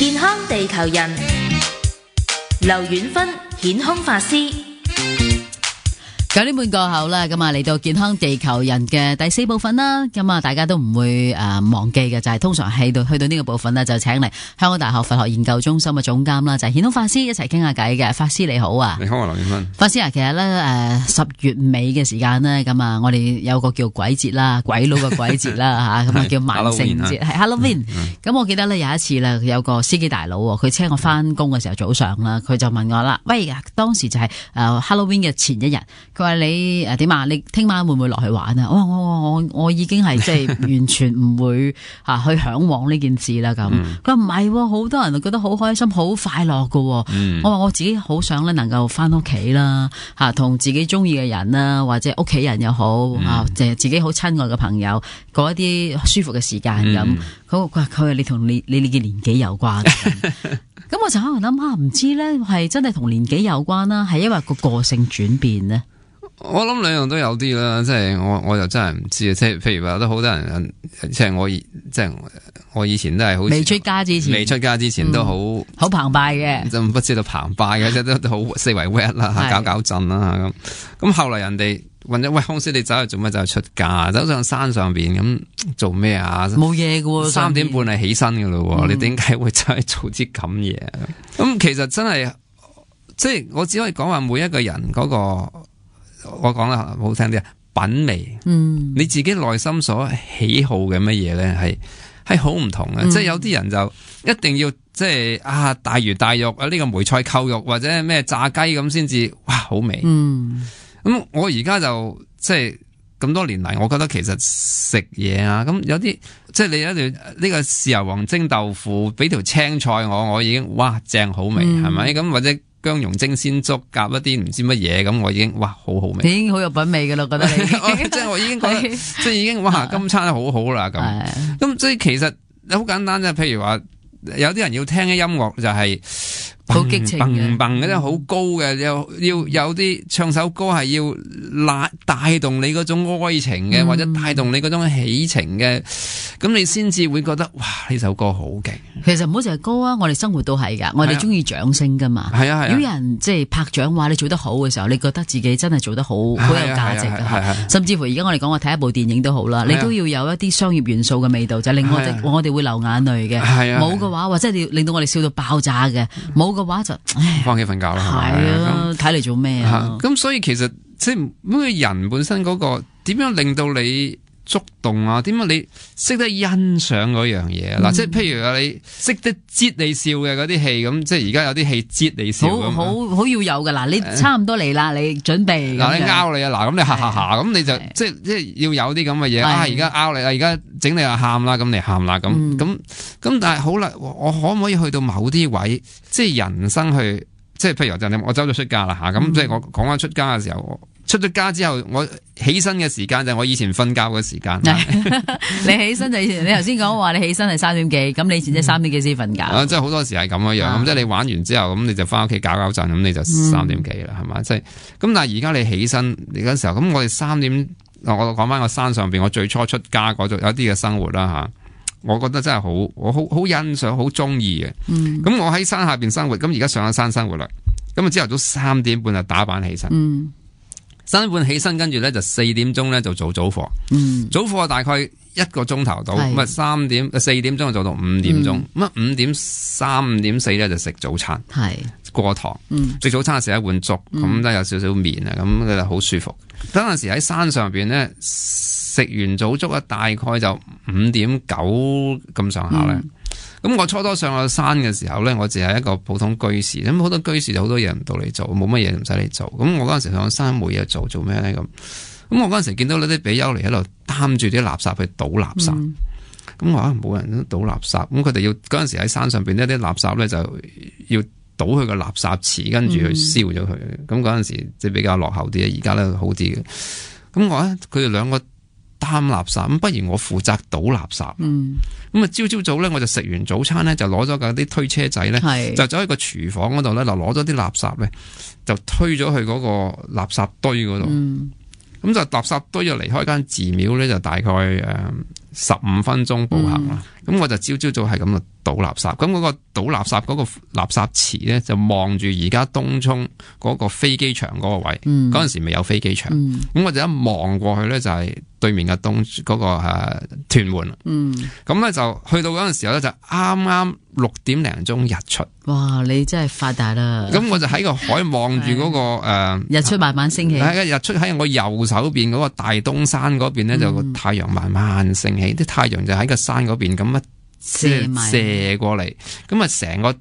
健康地球人，劉遠芬顯空法師。9點半過後啦，咁啊嚟到健康地球人嘅第4部分啦，咁啊大家都唔會忘記嘅就係通常去到呢個部分呢，就請嚟香港大學佛學研究中心嘅總監啦，就係顯空法師一齊傾下偈嘅。法師你好啊。你好啊，劉遠芬。法師啊，其實咧10月尾嘅時間呢，咁啊我哋有個叫鬼節啦，鬼佬嘅鬼節啦吓，咁啊叫萬聖節係 Halloween。咁我記得咧有一次啦，有個司機大佬佢車我翻工嘅時候早上啦，佢就問我啦，喂，當時就係Halloween 嘅前一日。佢話你點啊？你聽晚會唔會落去玩啊？我已經係即係完全唔會去向往呢件事啦咁。佢話唔係，好多人覺得好開心、好快樂噶。我話我自己好想咧能夠翻屋企啦，同自己中意嘅人啦，或者屋企人又好自己好親愛嘅朋友過一啲舒服嘅時間咁。佢話你同你嘅年紀有關。咁我就喺度諗唔知咧係真係同年紀有關啦，係因為個性轉變呢？我諗兩樣都有啲啦，即係我就真係唔知啊。即係譬如話都好多人，即係我以前都係好未出家之前都好澎湃嘅，就唔知道澎湃嘅，即係都好四圍 wet 啦，搞震啦咁後來人哋問咗喂，康師你走去做乜？走去出家，走上山上邊咁做咩啊？冇嘢嘅，3點半係起身嘅咯，你點解會走去做啲咁嘢？咁其實真係即係我只可以講話每一個人嗰個。我講啦，好聽啲啊，品味，你自己內心所喜好嘅乜嘢咧，係好唔同嘅。即係有啲人就一定要即係大魚大肉啊，呢個梅菜扣肉或者咩炸雞咁先至哇好味。咁我而家就即係咁多年嚟，我覺得其實食嘢啊，咁有啲即係你有一條呢個豉油皇蒸豆腐，俾條青菜我已經哇正好味，係咪咁或者？薑蓉蒸鮮粥夾一啲唔知乜嘢咁，我已經哇好好味，你已經好有品味噶啦，覺得你即係我已經覺得即係已經哇今餐好好啦咁即係其實好簡單啫。譬如話有啲人要聽嘅音樂就係好激情嘅，嗰啲好高嘅，要有啲唱首歌係要帶動你嗰種哀情嘅，或者帶動你嗰種喜情嘅，咁你先至會覺得哇呢首歌好勁。其實唔好淨係歌啊，我哋生活都係噶，我哋中意掌聲噶嘛。係啊，如果有人即係拍掌話你做得好嘅時候，你覺得自己真係做得好有價值嘅。甚至乎而家我哋講話睇一部電影都好啦，你都要有一啲商業元素嘅味道，就令我哋會流眼淚嘅。冇嘅話，或者你令到我哋笑到爆炸嘅，冇嘅話就翻屋企瞓覺啦。係啊，睇嚟做咩啊？咁所以其實即係每個人本身嗰個點樣令到你觸動啊？點解你識得欣賞嗰樣嘢啊？嗱，即係譬如你識得擠你笑嘅嗰啲戲，咁即係而家有啲戲擠你笑咁，好要有噶。嗱，你差唔多嚟啦，你準備嗱，你拗你啊，嗱，咁你哈咁你就即係要有啲咁嘅嘢啊！而家拗你啊，而家整你啊喊啦，咁你喊啦，咁但係好啦，我可唔可以去到某啲位，即係人生去，即係譬如就我走咗出家啦吓，咁即係我講翻出家嘅時候。出咗家之後，我起身嘅時間就係我以前瞓覺嘅時間。你起身就以前，你頭先講話你起身係3點幾，咁你以前即係3點幾先瞓覺。即係好多時係咁樣，咁即係你玩完之後，咁你就翻屋企搞搞陣，咁你就3點幾啦，係嘛？即係咁，但係而家你起身你嗰時候，咁我哋3點，我講翻個山上邊，我最初出家嗰度有啲嘅生活啦吓，我覺得真係我好欣賞，好中意嘅。咁我喺山下邊生活，咁而家上咗山生活啦，咁啊朝頭早3點半就打扮起身。3點半起身，跟住咧就4點鐘咧就做早課。早課大概1個鐘頭到，咁啊4點鐘就做到5點鐘。咁啊5點3、5點4咧就食早餐，過堂。食早餐食一碗粥，咁都有少少麵啊，咁佢就好舒服。嗰陣時喺山上邊咧食完早粥啊，大概就5點9咁上下咧。咁我初初上到山嘅時候咧，我淨係一個普通居士，咁好多居士就好多嘢唔到你做，冇乜嘢唔使你做。咁我嗰陣時上山冇嘢做咩咧咁？咁我嗰陣時見到呢啲比丘尼喺度擔住啲垃圾去倒垃圾，咁我冇人都倒垃圾，咁佢哋要嗰陣時喺山上邊呢啲垃圾咧就要倒去個垃圾池，跟住去燒咗佢。咁嗰陣時即係比較落後啲，而家咧好啲嘅。咁我咧佢哋兩個擔垃圾，咁不如我負責倒垃圾。咁啊朝早咧我就食完早餐咧就攞咗架啲推車仔咧，就走喺個廚房嗰度咧就攞咗啲垃圾咧就推咗去嗰個垃圾堆嗰度。咁就垃圾堆就離開間寺廟咧就大概15分鐘步行啦。咁我就朝早係咁啊倒垃圾。咁嗰個倒垃圾嗰個垃圾池咧，就望住而家東涌嗰個飛機場嗰個位。嗰陣時未有飛機場，咁我就一望過去咧，就係對面嘅嗰個屯門。咁咧就去到嗰陣時候咧，就啱啱6點零鐘日出。哇！你真係發達啦！咁我就喺個海望住嗰個日出慢慢升起。日出喺我右手邊嗰個大東山嗰邊咧，就個太陽慢慢升起，啲太陽就喺個山嗰邊咁射過嚟，咁啊成個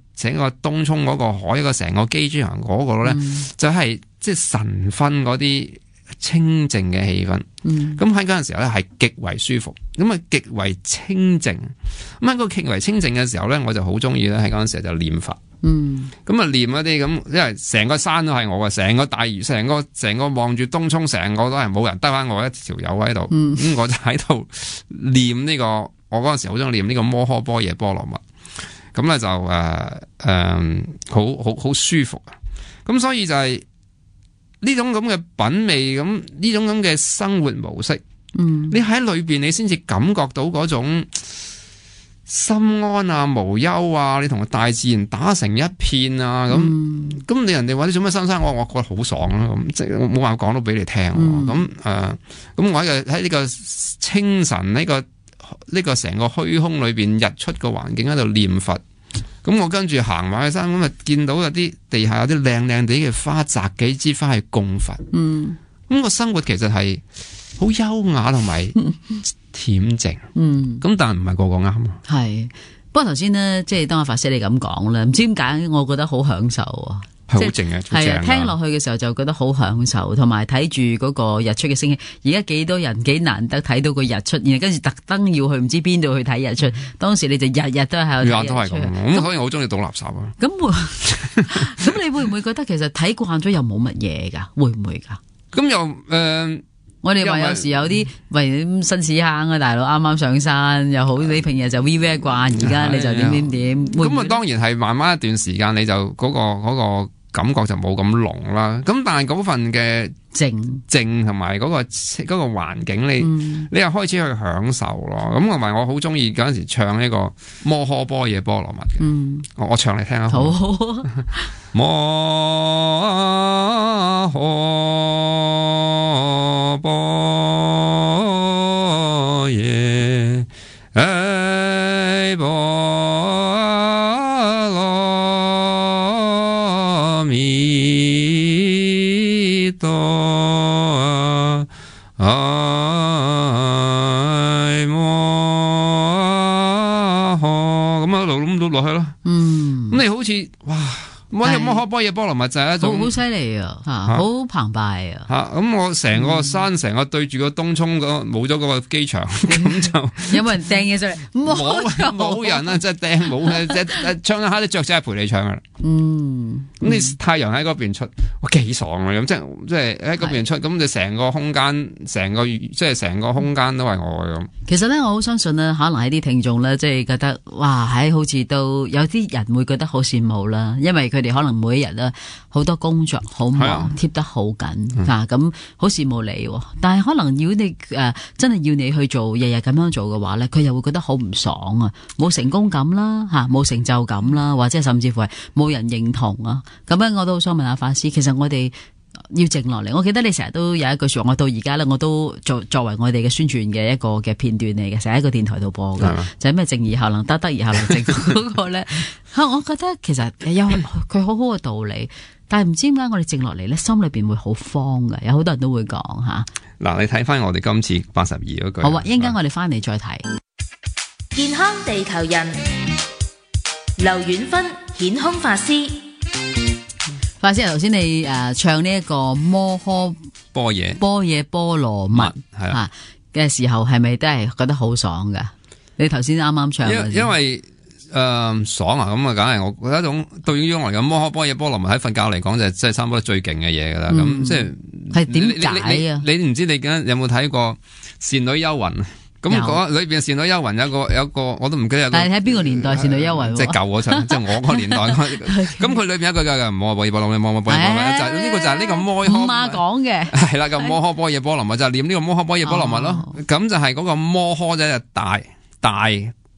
東涌嗰個海個成個機場嗰個咧，就係即係晨昏嗰啲清靜嘅氣氛。咁喺嗰陣時候咧，係極為舒服，咁啊極為清靜。咁喺個極為清靜嘅時候咧，我就好中意咧喺嗰陣時候就念佛。咁啊念一啲咁，因為成個山都係我嘅，成個大嶼，成個望住東涌，成個都係冇人，得翻我一條友喺度。咁我就喺度念呢個，我嗰陣時好中意念呢個摩訶般若波羅蜜。咁咧就好舒服啊！咁所以就係呢種咁嘅品味，咁呢種咁嘅生活模式，你喺裏邊你先至感覺到嗰種心安啊、無憂啊，你同大自然打成一片啊，咁你人哋話你做咩新山，我覺得好爽啊！咁即係我冇辦法講到俾你聽。咁我喺呢個清晨呢個成個虛空裏邊日出個環境喺度念佛。咁我跟住行埋去山，咁啊見到有啲地下有啲靚靚地嘅花，摘幾支花去供佛。咁個生活其實係好優雅同埋恬靜。咁但係唔係個個啱。係，不過頭先呢，即係當阿法師你咁講咧，唔知點解我覺得好享受啊！係好靜嘅，係啊，聽落去嘅時候就覺得好享受，同埋睇住嗰個日出嘅升起。而家幾多人幾難得睇到個日出，然後跟住特登要去唔知邊度去睇日出。當時你就日日都喺度睇日出。都係咁，咁所以我好中意倒垃圾啊。咁你會唔會覺得其實睇慣咗又冇乜嘢噶？會唔會噶？咁又我哋話有時有啲喂新屎坑啊，大佬啱啱上山又好，你平日就 VV 慣，而家你就點。咁啊，當然係慢慢一段時間你就嗰個感覺就冇咁濃啦，咁但係嗰份嘅靜同埋嗰個環境，你又開始去享受咯。咁同埋我好中意嗰陣時唱呢個摩訶般若波羅蜜嘅，我唱嚟聽下。好，摩訶般若彌多咁一路諗到落去咯。咁你好似哇〜摩訶般若波羅蜜就係一種好犀利啊，好澎湃啊！咁我成個山成個對住個東涌冇咗嗰個機場，咁就有冇人掟嘢上嚟？冇人啊！即係掟冇嘅，即係唱一下啲雀仔係陪你唱噶啦。咁你太陽喺嗰邊出，哇幾爽啊！咁即係喺嗰邊出，咁你成個空間，成個空間都係我嘅咁。其實咧，我好相信咧，可能喺啲聽眾咧，即係覺得哇，好似都有啲人會覺得好羨慕啦，因為佢哋可能每一日咧好多工作好忙，貼得好緊咁好羨慕你。但係可能如果你真係要你去做日日咁樣做嘅話咧，佢又會覺得好唔爽啊，冇成功感啦，冇成就感啦，或者甚至乎係冇人認同啊。咁樣我都好想問下法師，其實我哋要靜落嚟。我記得你成日都有一句說話，我到而家咧我都作為我哋嘅宣傳嘅一個嘅片段嚟嘅，成日喺個電台度播嘅，就係咩靜而後能得，得而後能靜嗰個咧。我覺得其實有佢好好嘅道理，但係唔知點解我哋靜落嚟咧，心裏邊會好慌嘅。有好多人都會講吓。嗱，你睇翻我哋今次82嗰句。好啊，一陣間我哋翻嚟再睇。健康地球人，劉婉芬顯空法師。法師，頭先你唱呢一個摩訶般若波羅蜜嘅時候，係咪都係覺得好爽噶？你頭先啱啱唱因為爽啊，咁啊，梗係我覺得一種對於我嚟講，摩訶般若波羅蜜喺佛教嚟講就即係差唔多最勁嘅嘢噶啦。咁即係點解啊？你唔知你有冇睇過《倩女幽魂》？咁嗰裏邊《倩女幽魂》有個我都唔記得。但係睇邊個年代《倩女幽魂》？即係舊嗰陣，即係我個年代。咁佢裏邊有一句嘅摩訶般若波羅蜜，摩訶般若波羅蜜就呢個就係呢個摩訶。媽講嘅係啦，咁摩訶般若波羅蜜就係念呢個摩訶般若波羅蜜咯。咁就係嗰個摩訶就係大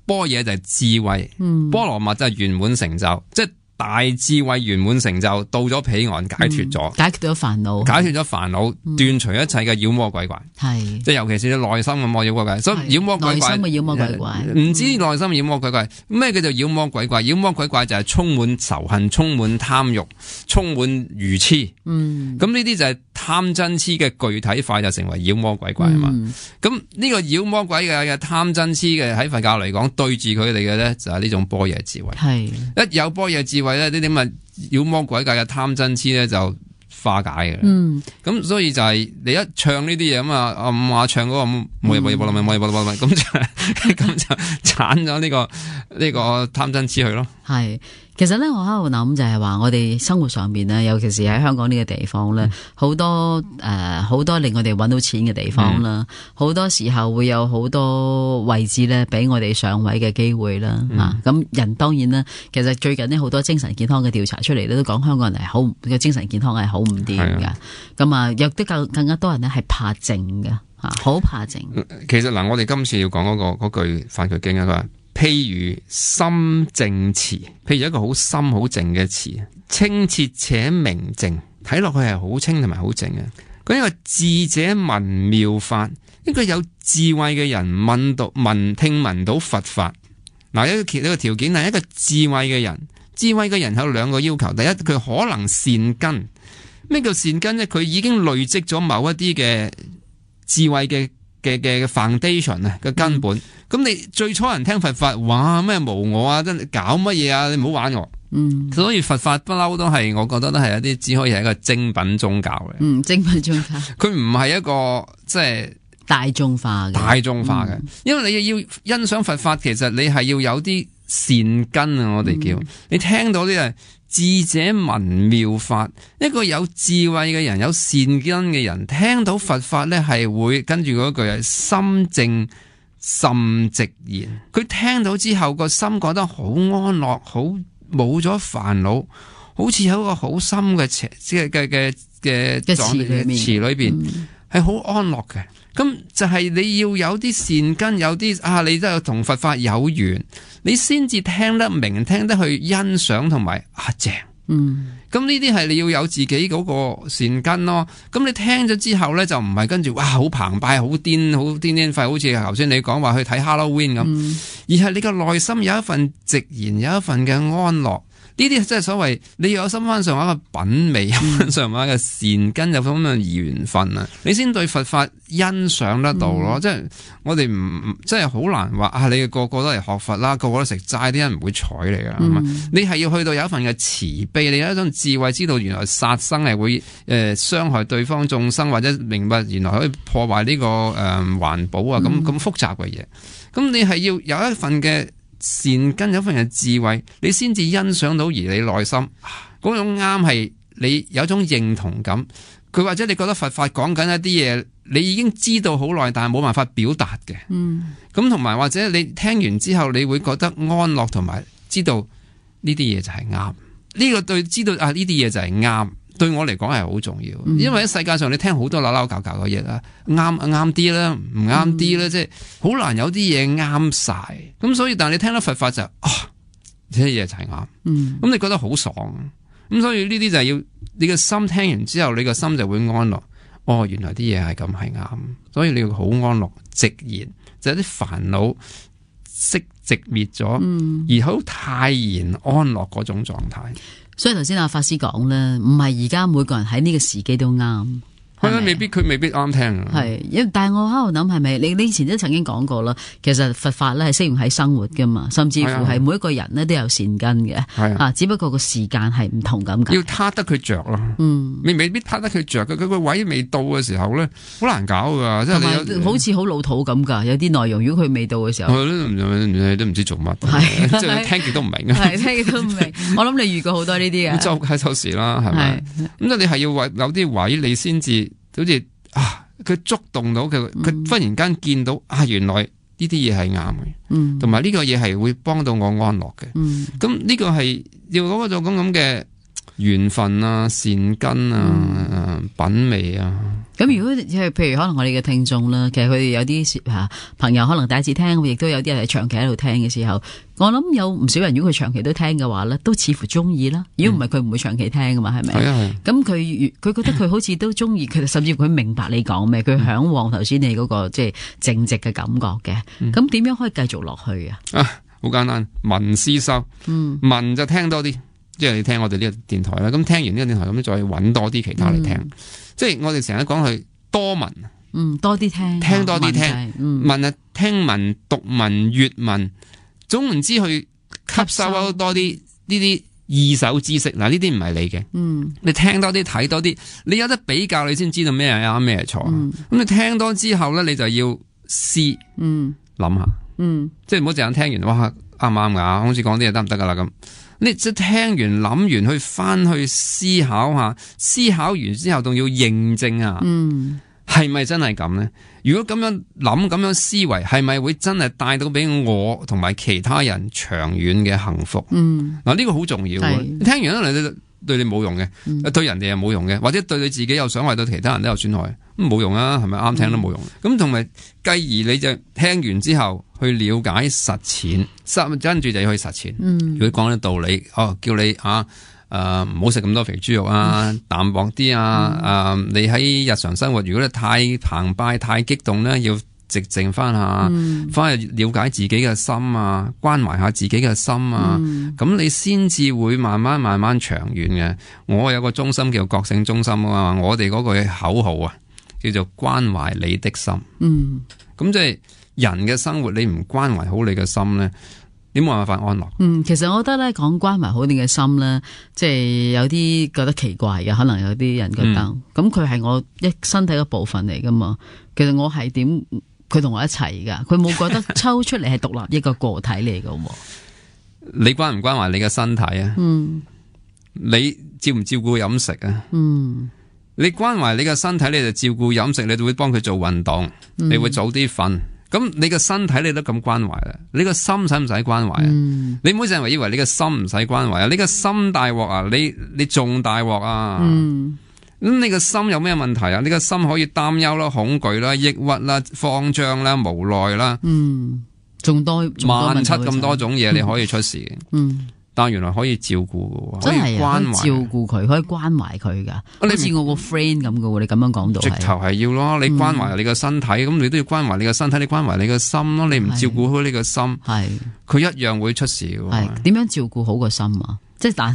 般若就係智慧，波羅蜜就係圓滿成就，即係大智慧圓滿成就，到咗彼岸解脫咗，解決咗煩惱，解脫咗煩惱，斷除一切嘅妖魔鬼怪，係即係尤其是你內心嘅妖魔鬼怪，所以妖魔鬼怪內心嘅妖魔鬼怪，唔知內心嘅妖魔鬼怪咩叫做妖魔鬼怪？妖魔鬼怪就係充滿仇恨、充滿貪欲、充滿愚痴，咁呢啲就係貪嗔痴嘅具體化，就成為妖魔鬼怪啊嘛。咁呢個妖魔鬼嘅貪嗔痴嘅喺佛教嚟講，對住佢哋嘅咧就係呢種般若智慧，係一有般若智慧咧，呢啲咁嘅妖魔鬼怪嘅貪嗔痴咧就化解嘅。咁所以就係你一唱呢啲嘢咁啊，唔話唱嗰個冇嘢咁就鏟咗呢個貪嗔痴去咯。係，其實咧我喺度諗就係話，我哋生活上邊咧，尤其是喺香港呢個地方咧，好多令我哋搵到錢嘅地方啦，好多時候會有好多位置咧，俾我哋上位嘅機會啦。咁人當然啦，其實最近呢，好多精神健康嘅調查出嚟咧，都講香港人係好嘅精神健康係好唔掂噶。咁啊，有啲更加多人咧係怕靜嘅吓，好怕靜。其實嗱，我哋今次要講嗰句梵句經啊，佢話譬如心靜池，譬如一個好深好靜嘅池，清澈且明淨，睇落去係好清同埋好靜嘅。咁一個智者聞妙法，一個有智慧嘅人聽聞到佛法。嗱，一個條件係一個智慧嘅人，智慧嘅人有兩個要求。第一，佢可能善根。咩叫善根呢？佢已經累積咗某一啲嘅智慧嘅 foundation 啊嘅根本。咁你最初人聽佛法，哇咩無我啊，真係搞乜嘢啊？你唔好玩我。所以佛法不嬲都係，我覺得都係一啲只可以係一個精品宗教嘅。精品宗教，佢唔係一個即係大眾化嘅。因為你要欣賞佛法，其實你係要有啲善根啊。我哋叫你聽到啲係智者聞妙法，一個有智慧嘅人，有善根嘅人，聽到佛法咧係會跟住嗰句係心靜甚直言。佢聽到之後個心覺得好安樂，好冇咗煩惱，好似有一個好深嘅池裏邊係好安樂嘅。咁就係你要有啲善根，有啲你都有同佛法有緣，你先至聽得明，聽得去欣賞同埋正。咁呢啲係你要有自己嗰個善根咯。咁你聽咗之後咧，就唔係跟住哇好澎湃、好癲廢，好似頭先你講話去睇 Halloween 咁，而係你個內心有一份直言，有一份嘅安樂。呢啲即係所謂你要有深翻上下嘅品味，深上下嘅善根，有咁嘅緣分啊，你先對佛法欣賞得到咯。即係我哋唔即係好難話你個個都嚟學佛啦，個個都食齋，啲人唔會睬你噶。你係要去到有一份嘅慈悲，你有一種智慧，知道原來殺生係會傷害對方眾生，或者明白原來可以破壞呢個環保啊，咁複雜嘅嘢。咁你係要有一份嘅善根，有一份嘅智慧，你先至欣賞到，而你內心嗰種啱係你有一種認同感。佢或者你覺得佛法講緊一啲嘢，你已經知道好耐，但係冇辦法表達嘅。咁同埋或者你聽完之後，你會覺得安樂，同埋知道呢啲嘢就係啱。呢個對知道呢啲嘢就係啱，對我嚟講係好重要。因為喺世界上你聽好多扭扭搞搞嘅嘢啦，啱啲啦，唔啱啲啦，即係好難有啲嘢啱晒。咁所以但係你聽到佛法就呢啲嘢就係啱。咁你覺得好爽。咁所以呢啲就係要你嘅心聽完之後，你個心就會安樂。原來啲嘢係咁係啱，所以你要好安樂直言，就係啲煩惱息直滅咗，而好泰然安樂嗰種狀態。所以頭先阿法師講咧，唔係而家每個人喺呢個時機都啱。佢未必啱聽啊。係，但係我喺度諗係咪你以前都曾經講過啦？其實佛法咧係適用喺生活噶嘛，甚至乎係每一個人咧都有善根嘅。只不過個時間係唔同咁解。要撻得佢着咯。你未必撻得佢着嘅，佢個位未到嘅時候咧，好難搞噶。即係你好似好老土咁噶，有啲內容如果佢未到嘅時候，都唔知做乜。即係聽極都唔明。聽極都唔明。我諗你遇過好多呢啲嘅。周時啦，係咪？咁你係要有啲位你先至。好似佢觸動到佢忽然間見到原來呢啲嘢係啱嘅，同埋呢個嘢係會幫到我安樂嘅。咁呢個係要嗰種咁嘅緣分啊、善根啊、品味啊。咁如果譬如可能我哋嘅聽眾啦，其實佢哋有啲朋友可能第一次聽，亦都有啲人係長期喺度聽嘅時候，我諗有唔少人如果佢長期都聽嘅話咧，都似乎中意啦。如果唔係佢唔會長期聽噶嘛，係咪？係啊。咁佢覺得佢好似都中意，佢甚至佢明白你講咩，佢向往頭先你嗰個即係正直嘅感覺嘅。咁點樣可以繼續落去啊？好簡單，聞思修。聞就聽多啲，即係你聽我哋呢個電台啦。咁聽完呢個電台咁，再揾多啲其他嚟聽。即係我哋成日講佢多聞，多啲聽，聽多啲聽，聞啊，聽聞、讀聞、閱聞，總唔知去吸收多啲呢啲二手知識。嗱，呢啲唔係你嘅，你聽多啲，睇多啲，你有得比較，你先知道咩係啱，咩係錯。咁你聽多之後咧，你就要思，諗下，即係唔好淨係聽完，哇，啱唔啱噶？好似講啲嘢得唔得噶啦咁。你即係聽完諗完去翻去思考下，思考完之後仲要認證下，係咪真係咁呢？如果咁樣諗，咁樣思維，係咪會真係帶到俾我同埋其他人長遠嘅幸福？嗱，呢個好重要。聽完咧，對你冇用嘅，對人哋又冇用嘅，或者對你自己有傷害，對其他人都有損害，咁冇用啊？係咪啱聽都冇用？咁同埋繼而你就聽完之後去了解實踐，跟住就要去實踐。如果講啲道理，叫你唔好食咁多肥豬肉啊，淡薄啲啊，你喺日常生活，如果你太澎湃、太激動咧，要寂靜翻下，翻去了解自己嘅心啊，關懷下自己嘅心啊，咁你先至會慢慢長遠嘅。我有個中心叫覺醒中心啊嘛，我哋嗰個口號啊，叫做關懷你的心。咁即係人嘅生活，你唔關懷好你嘅心咧，你冇辦法安樂。其實我覺得咧，講關懷好你嘅心咧，即係有啲覺得奇怪嘅，可能有啲人覺得，咁佢係我身體嘅部分嚟噶嘛。其實我係點，佢同我一齊噶，佢冇覺得抽出嚟係獨立一個個體嚟噶。你關唔關懷你嘅身體啊？你照唔照顧飲食啊？你關懷你嘅身體，你就照顧飲食，你就會幫佢做運動，你會早啲瞓。咁你個身體你都咁關懷啦，你個心使唔使關懷啊？你唔好成日以為你個心唔使關懷啊，你個心大鑊啊，你仲大鑊啊！咁你個心有咩問題啊？你個心可以擔憂啦、恐懼啦、抑鬱啦、慌張啦、無奈啦，仲多萬七咁多種嘢你可以出事嘅。但原來可以照顧嘅，真係關懷照顧佢，可以關懷佢噶，好似我個 friend 咁嘅。你咁樣講到，直頭係要咯。你關懷你個身體，咁你都要關懷你個身體，你關懷你個心咯。你唔照顧好你個心，佢一樣會出事嘅。係點樣照顧好個心啊？即係但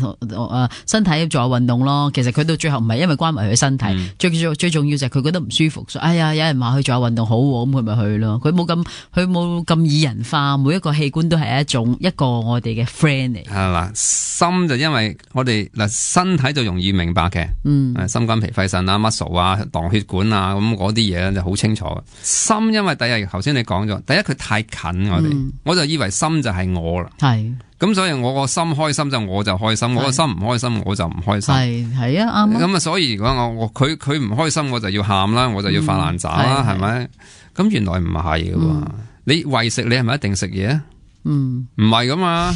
身體做下運動咯。其實佢到最後唔係因為關懷佢身體，最重要就係佢覺得唔舒服。哎呀，有人話佢做下運動好，咁佢咪去咯。佢冇咁擬人化，每一個器官都係一個我哋嘅 friend 嚟。係啦，心就因為我哋身體就容易明白嘅，心肝脾肺腎啊、muscle 啊、盪血管啊，咁嗰啲嘢就好清楚。心因為第一頭先你講咗，第一佢太近我哋，我就以為心就係我啦。係。咁所以我個心開心就我就開心，我個心唔開心我就唔開心。係啊，啱。咁啊，所以如果佢唔開心，我就要喊啦，我就要發爛渣啦，係咪？咁原來唔係嘅，你為食你係咪一定食嘢啊？唔係噶嘛，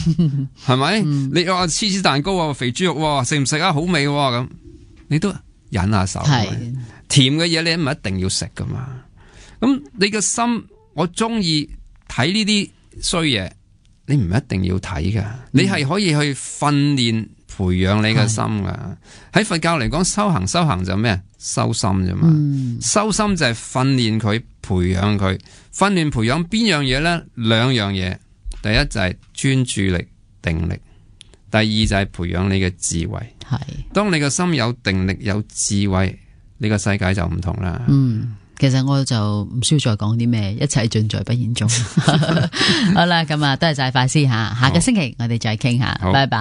係咪？你話芝士蛋糕啊，肥豬肉食唔食啊？好味咁，你都忍下手。甜嘅嘢你唔一定要食噶嘛。咁你個心，我中意睇呢啲衰嘢。你唔一定要睇噶，你係可以去訓練培養你嘅心噶。喺佛教嚟講，修行就咩？修心啫嘛。修心就係訓練佢，培養佢。訓練培養邊樣嘢呢？兩樣嘢，第一就係專注力、定力；第二就係培養你嘅智慧。係，當你嘅心有定力、有智慧，你個世界就唔同啦。其實我就唔需要再講啲咩，一切盡在不言中。好啦，咁啊，多謝晒法師吓，下個星期我哋再傾下，拜拜。